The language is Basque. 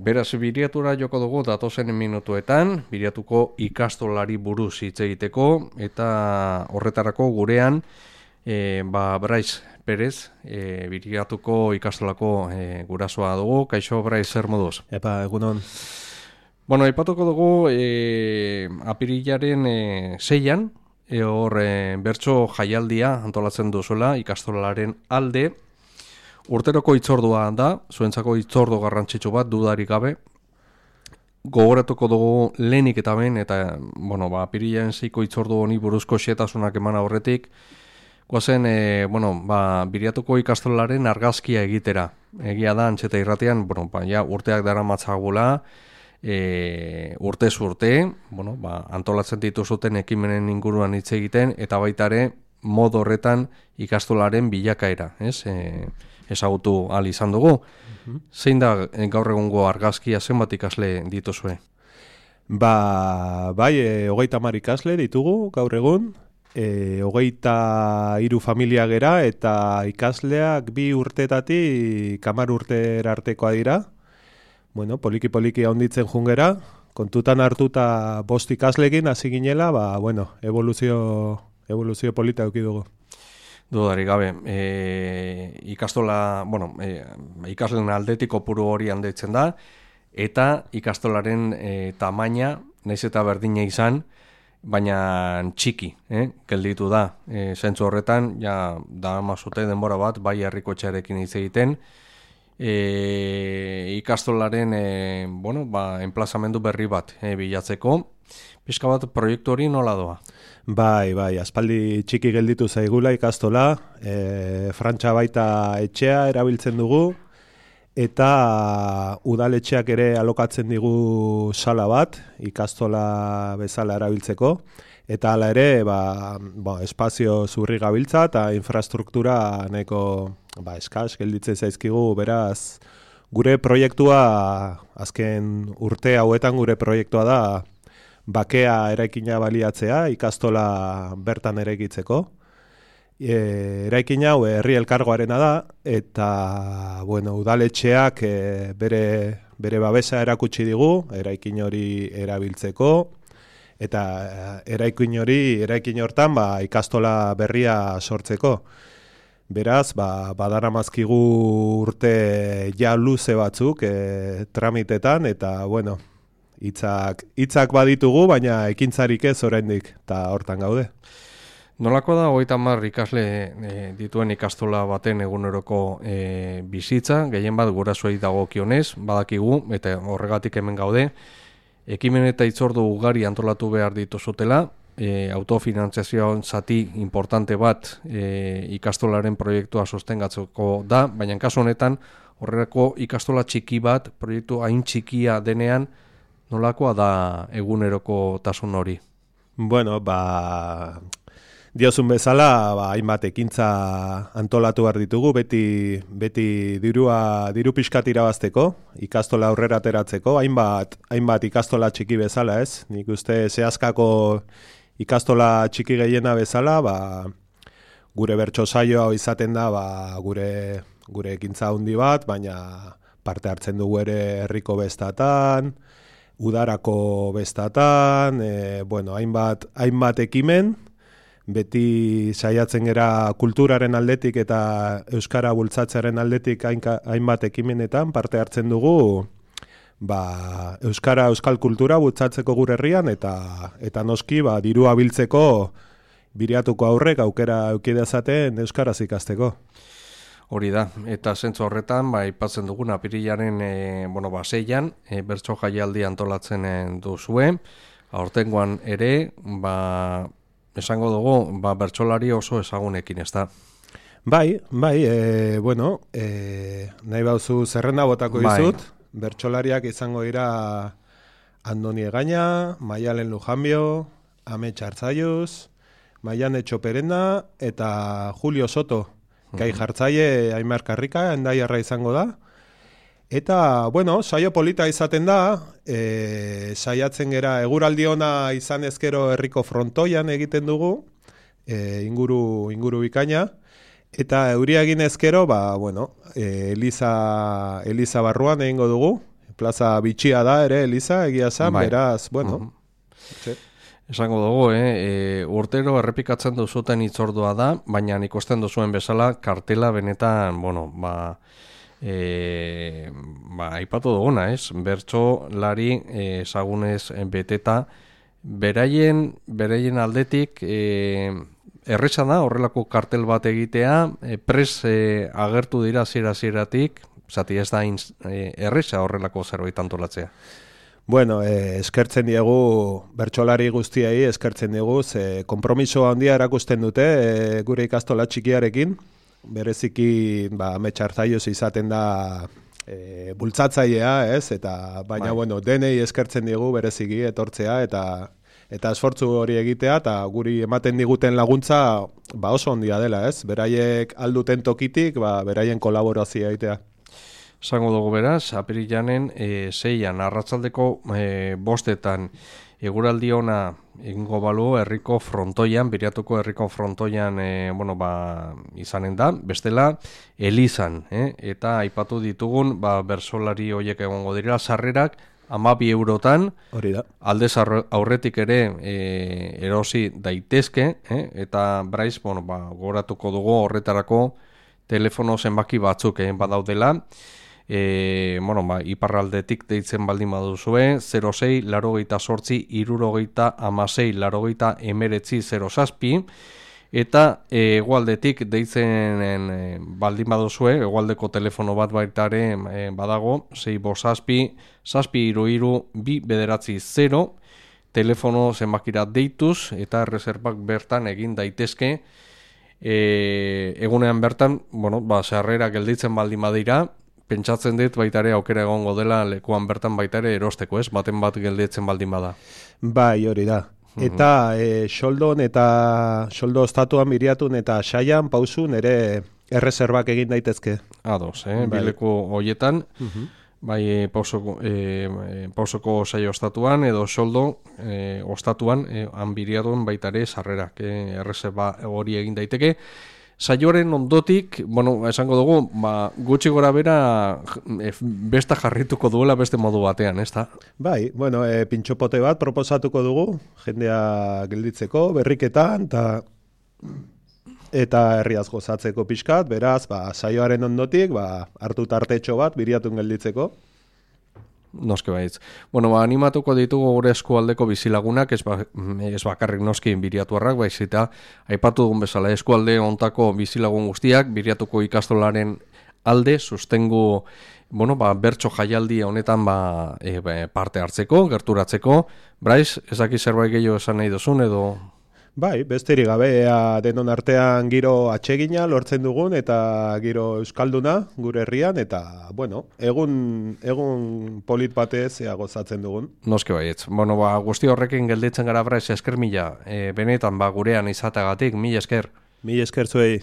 Beraz, Biriatura joko dugu datozen minutuetan, Biriatuko ikastolari buruz hitz egiteko, eta horretarako gurean, Brais Perez, Biriatuko ikastolako gurasoa dugu. Kaixo, Brais, zer moduz? Epa, egunon. Bueno, aipatuko dugu apirilaren 6an, hor bertso jaialdia antolatzen duzuela ikastolaren alde. Urteroko hitzordua da, zuentzako hitzordu garrantzitsu bat dudarik gabe. Gogoratuko dugu lehenik eta behin, eta, apirilaren 6ko hitzordu honi buruzko xehetasunak eman aurretik, goazen, Biriatuko ikastolaren argazkia egitera. Egia da, Antxeta Irratian, urteak daramatzagula, urtez urte, antolatzen dituzuten ekimenen inguruan hitz egiten, eta baita ere, modu horretan ikastolaren bilakaera, ezagutu ahal izan dugu. Zein da gaur egungo argazkia, zenbat ikasle dituzue? Bai, 30 ikasle ditugu gaur egun, 23 familia gera, eta ikasleak 2 urtetatik 10 urtera artekoa dira. Poliki handitzen jungera, kontutan hartuta 5 ikaslekin hasi ginela, evoluzio polita eduki dugu. Dudarik gabe, ikasleen aldetik kopuru hori handitzen da, eta ikastolaren tamaina, nahiz eta berdina izan, baina txiki, gelditu da. Zentzu horretan, da mazute denbora bat, bai herriko etxearekin hitz egiten, ikastolaren enplazamendu berri bat bilatzeko. Pixka bat proiektu hori nola doa? Bai, aspaldi txiki gelditu zaigula ikastola, Frantxa baita etxea erabiltzen dugu, eta udaletxeak ere alokatzen digu sala bat, ikastola bezala erabiltzeko, eta hala ere, espazio zurri gabiltza eta infrastruktura nahiko eskas gelditzen zaizkigu, beraz, gure proiektua, azken urte hauetan gure proiektua da, bakea eraikina baliatzea, ikastola bertan eraikitzeko. Eraikin hau herri elkargoarena da, eta udaletxeak bere babesa erakutsi digu, eraikin hori erabiltzeko, eta eraikin hortan ikastola berria sortzeko. Beraz, badaramazkigu urte luze batzuk tramitetan, eta hitzak baditugu, baina ekintzarik ez oraindik, eta hortan gaude. Nolako da 30 ikasle dituen ikastola baten eguneroko bizitza, gehien bat gurasoei dagokionez, badakigu, eta horregatik hemen gaude, ekimen eta hitzordu ugari antolatu behar dituzutela, autofinantziazioan zati importante bat ikastolaren proiektua sostengatzeko da, baina kasu honetan horrelako ikastola txiki bat, proiektu hain txikia denean, nolakoa da eguneroko tasun hori? Diozun bezala, hainbat ekintza antolatu behar ditugu, beti diru pixkat irabazteko, ikastola aurrera ateratzeko, hainbat ikastola txiki bezala, ez? Nik uste zehazkako ikastola txiki gehiena bezala, gure bertso saioa izaten da, gure ekintza handi bat, baina parte hartzen dugu ere herriko bestatan, udarako bestatan, hainbat ekimen, beti saiatzen gera kulturaren aldetik eta euskara bultzatzearen aldetik hainbat ekimenetan parte hartzen dugu, euskal kultura bultzatzeko gure herrian eta noski dirua biltzeko Biriatuko aurrek aukera eukidezaten euskaraz ikasteko. Hori da, eta zentzu horretan, aipatzen dugun apirilaren 6an, bertso jaialdi antolatzen duzue, aurtengoan ere, esango dugu, bertsolari oso ezagunekin, ez da? Nahi bauzu zerrenda botako dizut, bertsolariak izango dira Andoni Egaña, Maialen Lujanbio, Amets Artzaiuz, Maiane Txoperena eta Julio Soto. Gai jartzaile Aimar Karrika, Hendaiarra izango da. Eta, saio polita izaten da, saiatzen gera eguraldi ona izan ezkero herriko frontoian egiten dugu, inguru bikaina, eta euria egin ezkero, Eliza barruan egingo dugu, plaza bitxia da ere, Eliza, egia zan, beraz, bueno. Esango dugu, urtero errepikatzen duzuten hitzordua da, baina ikusten duzuen bezala kartela benetan, aipatu duguna, ez? Bertsolari ezagunez beteta, beraien aldetik erresa da horrelako kartel bat egitea, agertu dira zieratik, zati ez da erresa horrelako zerbait antolatzea. Bueno, eskertzen diegu, bertsolari guztiei eskertzen diegu, konpromiso handia erakusten dute gure ikastola txikiarekin, bereziki ametxartzaioz izaten da bultzatzailea, ez? Eta baina denei eskertzen diegu bereziki etortzea eta esfortzu hori egitea eta guri ematen diguten laguntza oso handia dela, ez? Beraiek alduten tokitik, beraien kolaborazioa egitea. Zango dugu beraz, apirilanen 6an, arratsaldeko 5etan eguraldi ona egingo balu herriko frontoian, Biriatuko herriko frontoian izanen da, bestela Elizan, eta aipatu ditugun bertsolari horiek egongo dira, sarrerak 12 eurotan, hori da. Aldez aurretik ere erosi daitezke, eta braiz, goratuko dugu horretarako telefono zenbaki batzuk badaudela, iparraldetik deitzen baldin baduzue, 06 88 76 89 07, eta hegoaldetik deitzen baldin baduzue, hegoaldeko telefono bat baitare badago, 657 722 telefono zenbakira deituz, eta erreserbak bertan egin daitezke, egunean bertan, sarrera gelditzen baldin badira, pentsatzen dut baitare aukera egongo dela lekuan bertan baitare erosteko, ez? Baten bat gelditzen baldin bada. Bai, hori da. Eta soldon eta soldo ostatuan Biriatun eta Saian pausun ere erreserbak egin daitezke. Ados, bileku hoietan, bai pausoko saio ostatuan edo soldo ostatuan Biriatun baitare sarrerak erreserba hori egin daiteke. Saioaren ondotik, esango dugu, gutxi gora bera besta jarrituko duela beste modu batean, ez da? Bai, pintxopote bat proposatuko dugu, jendea gelditzeko, berriketan, eta herriaz gozatzeko pixkat, beraz, saioaren ondotik, hartu tartetxo bat, Biriatun gelditzeko. Noski baitz. Animatuko ditugu gure eskualdeko bizilagunak, ez bakarrik noski Biriatuarrak, baizita, aipatu dugun bezala eskualde ontako bizilagun guztiak, Biriatuko ikastolaren alde, sustengu, bertso jaialdi honetan parte hartzeko, gerturatzeko. Braiz, ezaki zerbait gehiago esan nahi duzun, edo... Bai, besterik gabe, denon artean giro atsegina lortzen dugun eta giro euskalduna gure herrian eta, egun polit batez gozatzen dugun. Noski baietz. Guzti horrekin gelditzen gara Braiz, esker mila, benetan gurean izatagatik, mila esker. Mila esker zuei.